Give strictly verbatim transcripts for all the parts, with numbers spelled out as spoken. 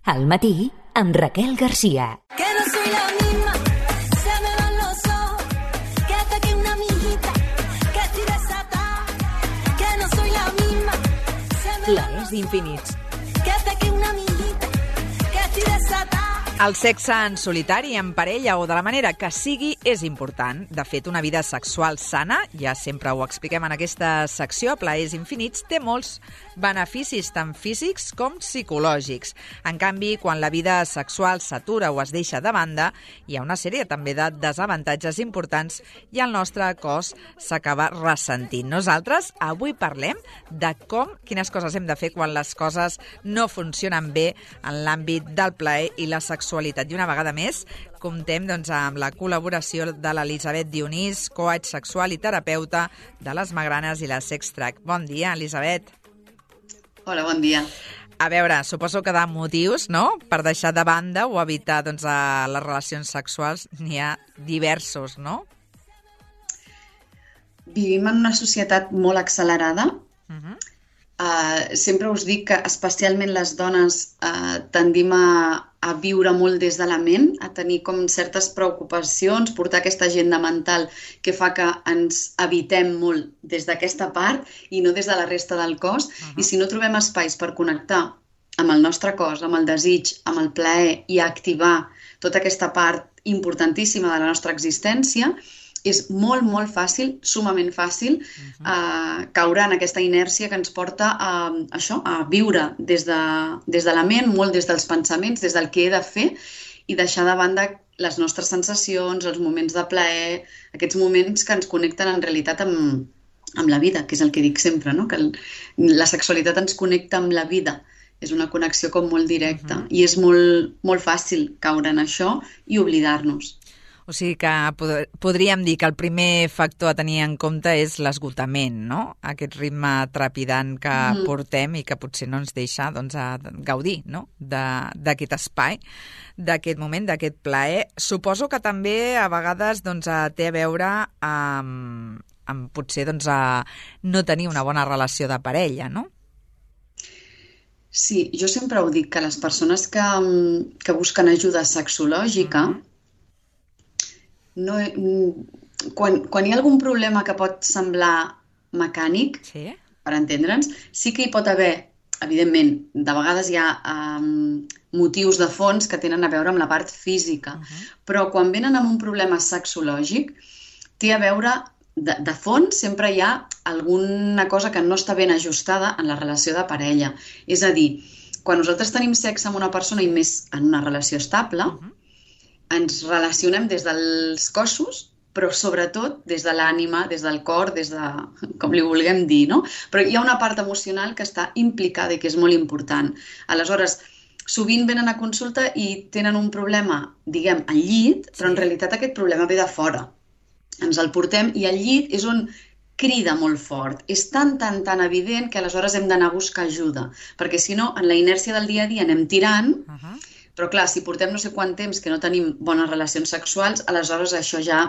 Al matí, amb Raquel García. Que no soy la misma, se me van los ojos, que hasta que una amiguita, que estoy desatada, que no soy la misma, se me van Plaers infinits. que hasta que una amiguita, que estoy desatada. El sexe en solitari, en parella o de la manera que sigui és important. De fet, una vida sexual sana, ja sempre ho expliquem en aquesta secció, Plaers infinits, té molts beneficis tant físics com psicològics. En canvi, quan la vida sexual s'atura o es deixa de banda, hi ha una sèrie també de desavantatges importants i el nostre cos s'acaba ressentint. Nosaltres avui parlem de com, quines coses hem de fer quan les coses no funcionen bé en l'àmbit del plaer i la sexualitat. I una vegada més comptem doncs, amb la col·laboració de l'Elisabet Dionís, coach sexual i terapeuta de les Magranes i la Sextrac. Bon dia, Elisabet. Hola, bon dia. A veure, suposo que de motius, no?, per deixar de banda o evitar doncs, a les relacions sexuals n'hi ha diversos, no? Vivim en una societat molt accelerada. Uh-huh. Uh, sempre us dic que especialment les dones uh, tendim a, a viure molt des de la ment, a tenir com certes preocupacions, portar aquesta agenda mental que fa que ens evitem molt des d'aquesta part i no des de la resta del cos. Uh-huh. I si no trobem espais per connectar amb el nostre cos, amb el desig, amb el plaer i activar tota aquesta part importantíssima de la nostra existència, és molt, molt fàcil, sumament fàcil, uh-huh. uh, caure en aquesta inèrcia que ens porta a, a això, a viure des de, des de la ment, molt des dels pensaments, des del que he de fer i deixar de banda les nostres sensacions, els moments de plaer, aquests moments que ens connecten en realitat amb, amb la vida, que és el que dic sempre, no? Que el, la sexualitat ens connecta amb la vida. És una connexió com molt directa uh-huh. i és molt, molt fàcil caure en això i oblidar-nos. O sigui que pod- podríem dir que el primer factor a tenir en compte és l'esgotament, no? Aquest ritme trepidant que mm. portem i que potser no ens deixa doncs, a gaudir, no?, de- d'aquest espai, d'aquest moment, d'aquest plaer. Suposo que també a vegades doncs, té a veure amb, amb potser doncs, a no tenir una bona relació de parella, no? Sí, jo sempre ho dic, que les persones que, que busquen ajuda sexològica mm. No, quan, quan hi ha algun problema que pot semblar mecànic, sí. per entendre'ns, sí que hi pot haver, evidentment, de vegades hi ha um, motius de fons que tenen a veure amb la part física, uh-huh. però quan venen amb un problema sexològic, té a veure, de, de fons sempre hi ha alguna cosa que no està ben ajustada en la relació de parella. És a dir, quan nosaltres tenim sexe amb una persona i més en una relació estable, uh-huh. ens relacionem des dels cossos, però sobretot des de l'ànima, des del cor, des de, com li vulguem dir, no? Però hi ha una part emocional que està implicada i que és molt important. Aleshores, sovint venen a consulta i tenen un problema, diguem, al llit, però en realitat aquest problema ve de fora. Ens el portem i al llit és on crida molt fort. És tan, tan, tan evident que aleshores hem d'anar a buscar ajuda, perquè si no, en la inèrcia del dia a dia anem tirant, uh-huh. però clar, si portem no sé quant temps que no tenim bones relacions sexuals, aleshores això ja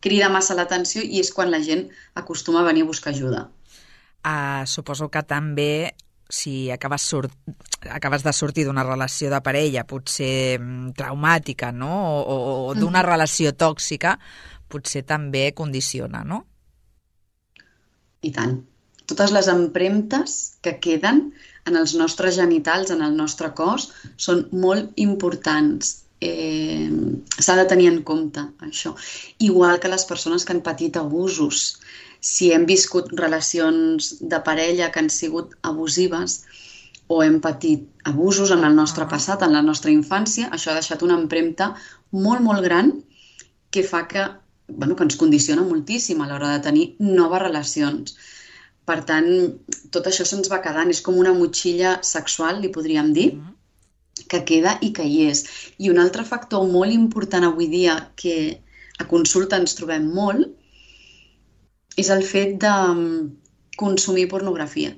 crida massa l'atenció i és quan la gent acostuma a venir a buscar ajuda. Uh, suposo que també, si acabes, sort... acabes de sortir d'una relació de parella potser traumàtica, no? o, o d'una mm-hmm. relació tòxica, potser també condiciona, no? I tant. Totes les empremtes que queden en els nostres genitals, en el nostre cos, són molt importants. Eh, s'ha de tenir en compte, això. Igual que les persones que han patit abusos. Si hem viscut relacions de parella que han sigut abusives o hem patit abusos en el nostre passat, en la nostra infància, això ha deixat una empremta molt, molt gran que fa que, bueno, que ens condiciona moltíssim a l'hora de tenir noves relacions. Per tant, tot això se'ns va quedant, és com una motxilla sexual, li podríem dir, que queda i que hi és. I un altre factor molt important avui dia que a consulta ens trobem molt és el fet de consumir pornografia.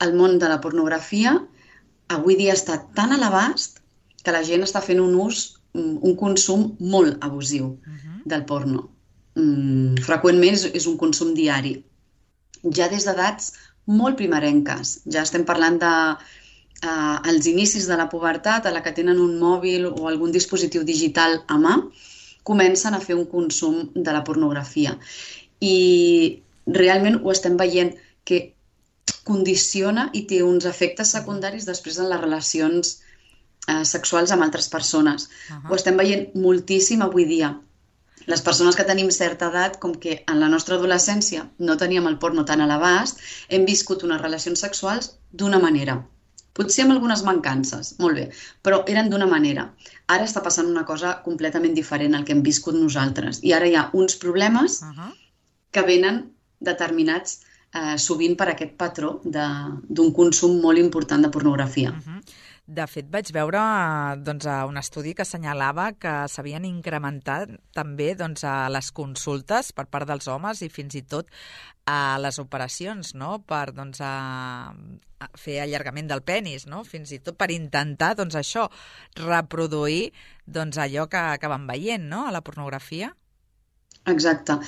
El món de la pornografia avui dia està tan a l'abast que la gent està fent un ús, un consum molt abusiu del porno. Freqüentment és un consum diari. Ja des d'edats molt primerenques. Ja estem parlant de eh, als inicis de la pubertat, a la que tenen un mòbil o algun dispositiu digital a mà, comencen a fer un consum de la pornografia. I realment ho estem veient que condiciona i té uns efectes secundaris després en les relacions eh, sexuals amb altres persones. Uh-huh. Ho estem veient moltíssim avui dia. Les persones que tenim certa edat, com que en la nostra adolescència no teníem el porno tan a l'abast, hem viscut unes relacions sexuals d'una manera. Potser amb algunes mancances, molt bé, però eren d'una manera. Ara està passant una cosa completament diferent al que hem viscut nosaltres. I ara hi ha uns problemes uh-huh. que venen determinats eh, sovint per aquest patró d'un consum molt important de pornografia. Uh-huh. De fet, vaig veure doncs, un estudi que assenyalava que s'havien incrementat també doncs, a les consultes per part dels homes i fins i tot a les operacions, no? Per doncs, a, a fer allargament del penis, no? Fins i tot per intentar doncs, això, reproduir doncs, allò que, que van veient, no? A la pornografia. Exacte.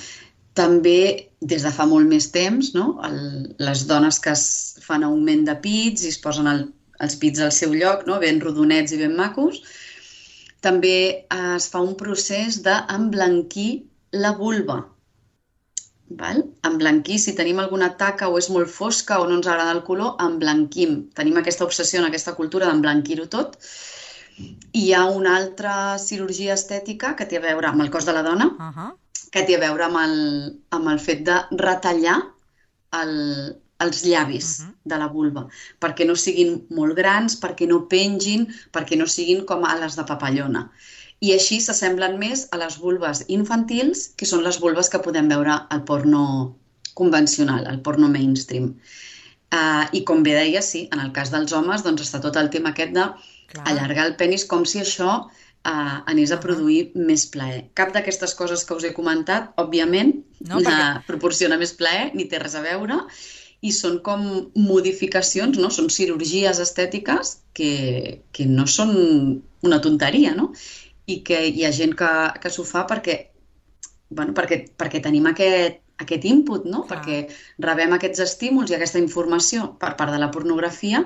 També, des de fa molt més temps, no? El, les dones que es fan augment de pits i es posen el els pits al seu lloc, no? Ben rodonets i ben macos. També es fa un procés d'emblanquir la vulva. Val? Emblanquir, si tenim alguna taca o és molt fosca o no ens agrada el color, emblanquim. Tenim aquesta obsessió en aquesta cultura d'emblanquir-ho tot. I hi ha una altra cirurgia estètica que té a veure amb el cos de la dona, uh-huh. que té a veure amb el, amb el fet de retallar el els llavis uh-huh. de la vulva, perquè no siguin molt grans, perquè no pengin, perquè no siguin com ales de papallona. I així s'assemblen més a les vulves infantils, que són les vulves que podem veure al porno convencional, al porno mainstream. Uh, I com bé deia, sí, en el cas dels homes doncs està tot el tema aquest d'allargar el penis com si això uh, anés a produir uh-huh. més plaer. Cap d'aquestes coses que us he comentat, òbviament, no, perquè... uh, proporciona més plaer, ni té res a veure, i són com modificacions, no? Són cirurgies estètiques que, que no són una tonteria, no? I que hi ha gent que, que s'ho fa perquè, bueno, perquè, perquè tenim aquest, aquest input, no? Ah. Perquè rebem aquests estímuls i aquesta informació per part de la pornografia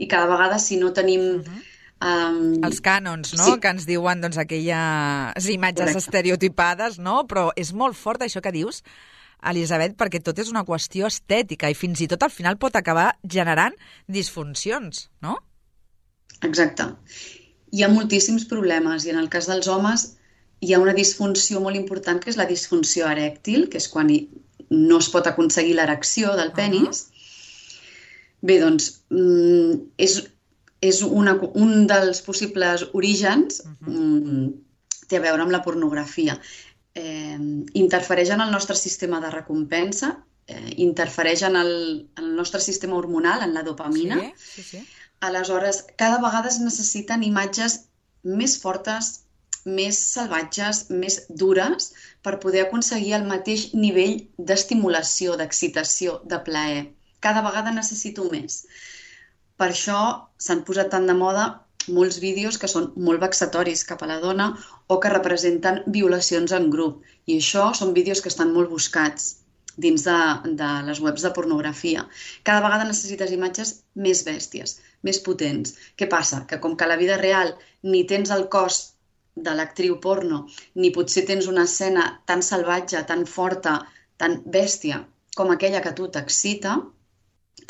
i cada vegada si no tenim... Uh-huh. Um... Els cànons, no? Sí. Que ens diuen doncs, aquelles imatges Correcte. Estereotipades, no? Però és molt fort això que dius, Elisabet, perquè tot és una qüestió estètica i fins i tot al final pot acabar generant disfuncions, no? Exacte. Hi ha moltíssims problemes i en el cas dels homes hi ha una disfunció molt important que és la disfunció erèctil, que és quan no es pot aconseguir l'erecció del penis. Uh-huh. Bé, doncs, és, és una, un dels possibles orígens, uh-huh. té a veure amb la pornografia. Eh, interfereix en el nostre sistema de recompensa, eh, interfereix en el, en el nostre sistema hormonal, en la dopamina. Sí, sí, sí. Aleshores, cada vegada es necessiten imatges més fortes, més salvatges, més dures, per poder aconseguir el mateix nivell d'estimulació, d'excitació, de plaer. Cada vegada necessito més. Per això s'han posat tant de moda molts vídeos que són molt vexatoris cap a la dona o que representen violacions en grup. I això són vídeos que estan molt buscats dins de, de les webs de pornografia. Cada vegada necessites imatges més bèsties, més potents. Què passa? Que com que a la vida real ni tens el cos de l'actriu porno, ni potser tens una escena tan salvatge, tan forta, tan bèstia com aquella que a tu t'excita,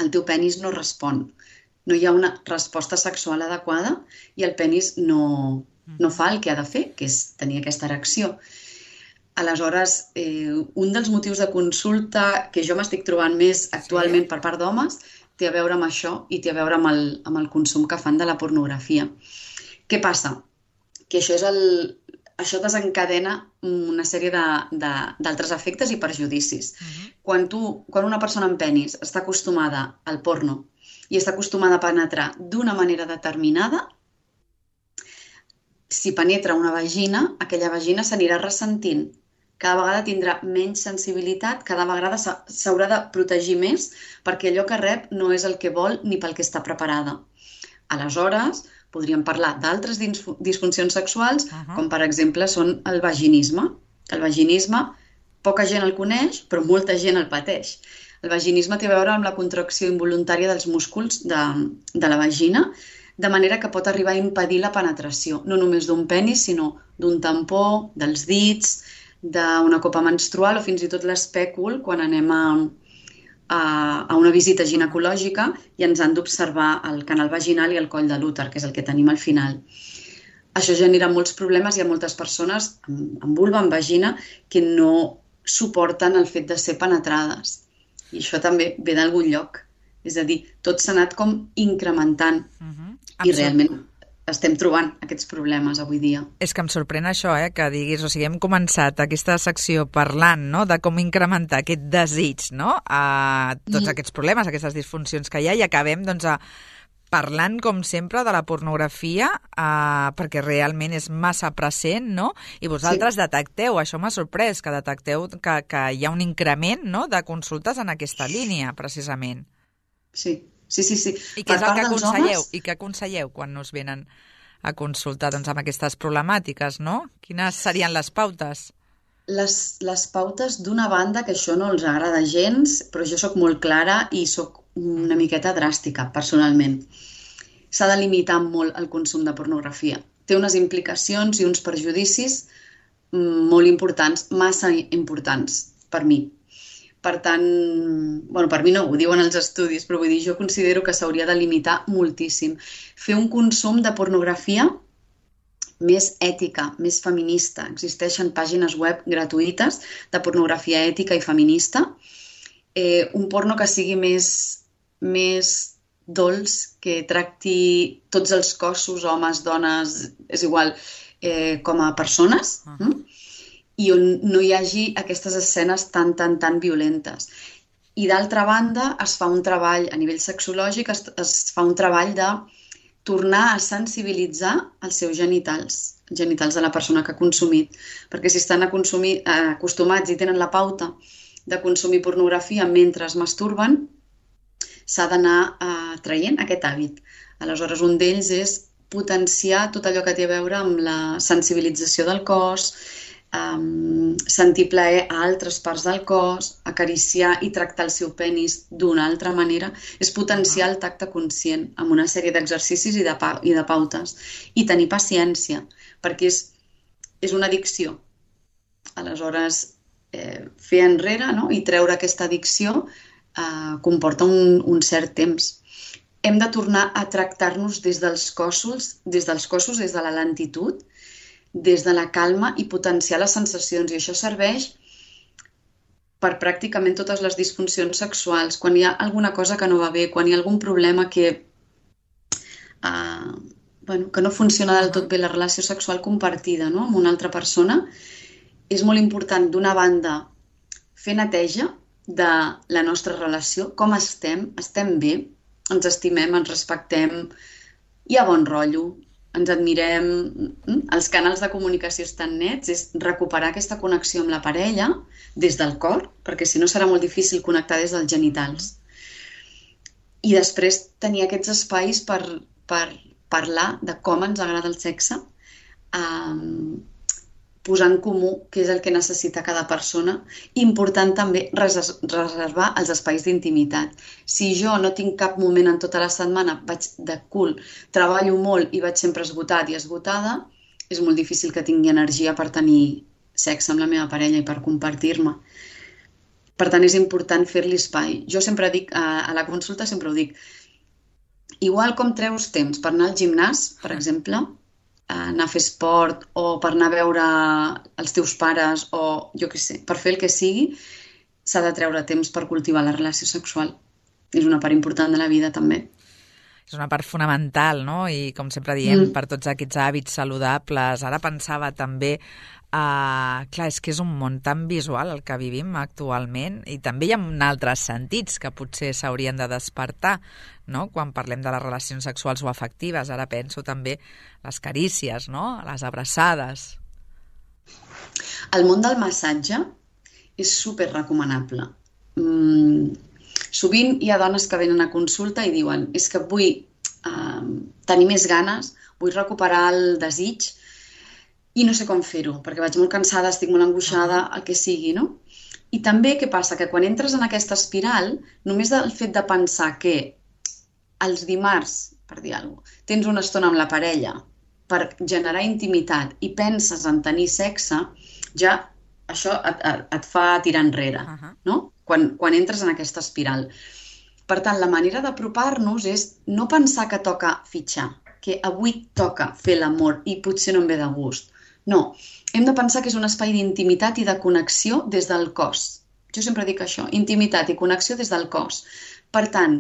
el teu penis no respon. No hi ha una resposta sexual adequada i el penis no, no fa el que ha de fer, que és tenir aquesta erecció. Aleshores, eh, un dels motius de consulta que jo m'estic trobant més actualment per part d'homes té a veure amb això i té a veure amb el, amb el consum que fan de la pornografia. Què passa? Que això, és el, això desencadena una sèrie d'altres efectes i perjudicis. Uh-huh. Quan, tu, quan una persona amb penis està acostumada al porno i està acostumada a penetrar d'una manera determinada, si penetra una vagina, aquella vagina s'anirà ressentint. Cada vegada tindrà menys sensibilitat, cada vegada s'haurà de protegir més perquè allò que rep no és el que vol ni pel que està preparada. Aleshores, podríem parlar d'altres disfuncions sexuals, uh-huh. com per exemple són el vaginisme. El vaginisme, poca gent el coneix, però molta gent el pateix. El vaginisme té a veure amb la contracció involuntària dels músculs de, de la vagina, de manera que pot arribar a impedir la penetració, no només d'un penis, sinó d'un tampó, dels dits, d'una copa menstrual o fins i tot l'espècul quan anem a, a, a una visita ginecològica i ens han d'observar el canal vaginal i el coll de l'úter, que és el que tenim al final. Això genera molts problemes. Hi ha moltes persones amb, amb vulva, amb vagina, que no suporten el fet de ser penetrades. I això també ve d'algun lloc. És a dir, tot s'ha anat com incrementant. Uh-huh. I realment estem trobant aquests problemes avui dia. És que em sorprèn això, eh, que diguis, o sigui, hem començat aquesta secció parlant, no?, de com incrementar aquest desig, no?, a tots mm. aquests problemes, aquestes disfuncions que hi ha, i acabem, doncs, a parlant, com sempre, de la pornografia, eh, perquè realment és massa present, no?, i vosaltres sí. detecteu, això m'ha sorprès, que detecteu que, que hi ha un increment, no?, de consultes en aquesta línia, precisament. Sí. Sí, sí, sí. I què és el que aconselleu? Homes... I què aconselleu quan us venen a consultar doncs, amb aquestes problemàtiques, no? Quines serien les pautes? Les, les pautes, d'una banda, que això no els agrada gens, però jo sóc molt clara i sóc una miqueta dràstica, personalment. S'ha de limitar molt el consum de pornografia. Té unes implicacions i uns perjudicis molt importants, massa importants per mi. Per tant, bueno, per mi no, ho diuen els estudis, però vull dir, jo considero que s'hauria de limitar moltíssim. Fer un consum de pornografia més ètica, més feminista. Existeixen pàgines web gratuïtes de pornografia ètica i feminista. Eh, un porno que sigui més, més dolç, que tracti tots els cossos, homes, dones, és igual, eh, com a persones, uh-huh. hm? I on no hi hagi aquestes escenes tan, tan, tan violentes. I d'altra banda, es fa un treball a nivell sexològic, es, es fa un treball de tornar a sensibilitzar els seus genitals, els genitals de la persona que ha consumit. Perquè si estan a consumir, eh, acostumats i tenen la pauta de consumir pornografia mentre es masturben, s'ha d'anar eh, traient aquest hàbit. Aleshores, un d'ells és potenciar tot allò que té a veure amb la sensibilització del cos, Um, sentir plaer a altres parts del cos, acariciar i tractar el seu penis d'una altra manera, és potenciar el tacte conscient amb una sèrie d'exercicis i, de pa i de pautes. I tenir paciència, perquè és, és una addicció. Aleshores, eh, fer enrere, no?, i treure aquesta addicció eh, comporta un, un cert temps. Hem de tornar a tractar-nos des dels cossos, des dels cossos, des de la lentitud, des de la calma i potenciar les sensacions. I això serveix per pràcticament totes les disfuncions sexuals. Quan hi ha alguna cosa que no va bé, quan hi ha algun problema que, uh, bueno, que no funciona del tot bé la relació sexual compartida, no?, amb una altra persona, és molt important, d'una banda, fer neteja de la nostra relació, com estem, estem bé, ens estimem, ens respectem, hi ha bon rotllo, ens admirem, els canals de comunicació estan nets, és recuperar aquesta connexió amb la parella des del cor, perquè si no serà molt difícil connectar des dels genitals. I després tenir aquests espais per, per parlar de com ens agrada el sexe, um, posar en comú què és el que necessita cada persona. Important també reservar els espais d'intimitat. Si jo no tinc cap moment en tota la setmana, vaig de cul, treballo molt i vaig sempre esgotat i esgotada, és molt difícil que tingui energia per tenir sexe amb la meva parella i per compartir-me. Per tant, és important fer-li espai. Jo sempre dic, a la consulta sempre ho dic, igual com treus temps per anar al gimnàs, per exemple, anar a fer esport o per anar a veure els teus pares o jo què sé, per fer el que sigui, s'ha de treure temps per cultivar la relació sexual. És una part important de la vida també. És una part fonamental, no? I com sempre diem, mm. per tots aquests hàbits saludables. Ara pensava també, uh, clar, és que és un món tan visual el que vivim actualment i també hi ha altres sentits que potser s'haurien de despertar, no?, quan parlem de les relacions sexuals o afectives. Ara penso també les carícies, no?, les abraçades. El món del massatge és super recomanable. Mm, sovint hi ha dones que venen a consulta i diuen és que vull eh, tenir més ganes, vull recuperar el desig i no sé com fer-ho, perquè vaig molt cansada, estic molt angoixada, el que sigui, no? I també què passa? Que quan entres en aquesta espiral, només el fet de pensar que els dimarts, per dir alguna cosa, tens una estona amb la parella per generar intimitat i penses en tenir sexe, ja això et, et, et fa tirar enrere, Uh-huh. no? Quan, quan entres en aquesta espiral. Per tant, la manera d'apropar-nos és no pensar que toca fitxar, que avui toca fer l'amor i potser no em ve de gust. No, hem de pensar que és un espai d'intimitat i de connexió des del cos. Jo sempre dic això, intimitat i connexió des del cos. Per tant,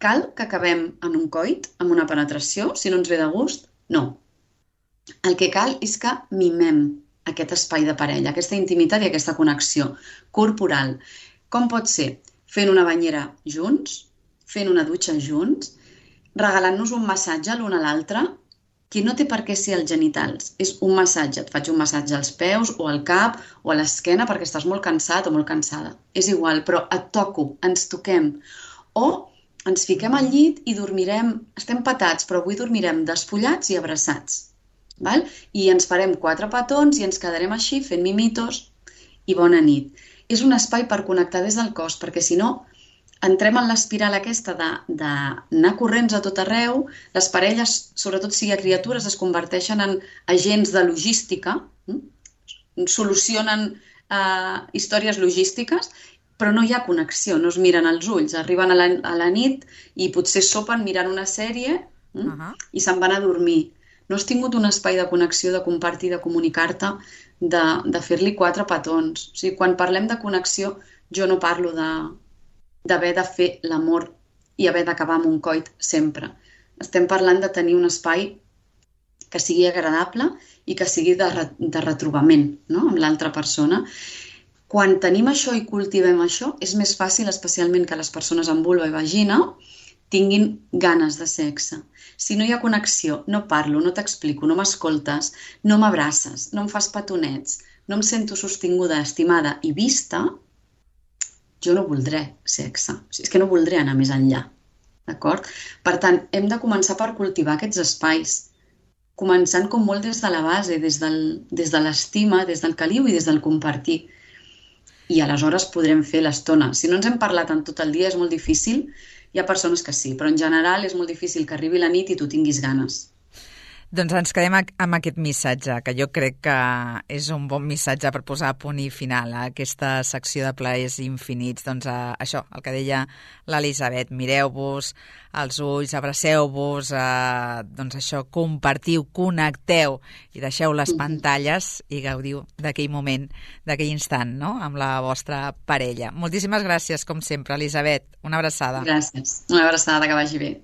cal que acabem en un coit, amb una penetració, si no ens ve de gust? No. El que cal és que mimem aquest espai de parella, aquesta intimitat i aquesta connexió corporal. Com pot ser? Fent una banyera junts, fent una dutxa junts, regalant-nos un massatge l'un a l'altre, que no té per què ser els genitals. És un massatge. Et faig un massatge als peus o al cap o a l'esquena perquè estàs molt cansat o molt cansada. És igual, però et toco, ens toquem. O ens fiquem al llit i dormirem, estem patats, però avui dormirem despullats i abraçats. Val? I ens farem quatre petons i ens quedarem així fent mimitos i bona nit. És un espai per connectar des del cos, perquè si no entrem en l'espiral aquesta d'anar corrents a tot arreu, les parelles, sobretot si hi ha criatures, es converteixen en agents de logística, hm? Solucionen eh, històries logístiques, però no hi ha connexió, no es miren als ulls, arriben a la, a la nit i potser sopen mirant una sèrie hm? Uh-huh. I se'n van a dormir. No has tingut un espai de connexió, de compartir, de comunicar-te, de, de fer-li quatre petons. O sigui, quan parlem de connexió, jo no parlo de d'haver de fer l'amor i haver d'acabar amb un coit sempre. Estem parlant de tenir un espai que sigui agradable i que sigui de, re, de retrobament, no? Amb l'altra persona. Quan tenim això i cultivem això, és més fàcil, especialment que les persones amb vulva i vagina tinguin ganes de sexe. Si no hi ha connexió, no parlo, no t'explico, no m'escoltes, no m'abraces, no em fas petonets, no em sento sostinguda, estimada i vista, jo no voldré sexe. O sigui, és que no voldré anar més enllà. D'acord? Per tant, hem de començar per cultivar aquests espais, començant com molt des de la base, des, del, des de l'estima, des del caliu i des del compartir. I aleshores podrem fer l'estona. Si no ens hem parlat en tot el dia és molt difícil. Hi ha persones que sí, però en general és molt difícil que arribi la nit i tu tinguis ganes. Doncs ens quedem amb aquest missatge, que jo crec que és un bon missatge per posar a punt i final a aquesta secció de plaers infinits. Doncs a, això, el que deia l'Elisabet, mireu-vos als ulls, abraceu-vos, eh, doncs això, compartiu, connecteu i deixeu les pantalles i gaudiu d'aquell moment, d'aquell instant, no?, amb la vostra parella. Moltíssimes gràcies, com sempre, Elisabet. Una abraçada. Gràcies. Una abraçada, que vagi bé.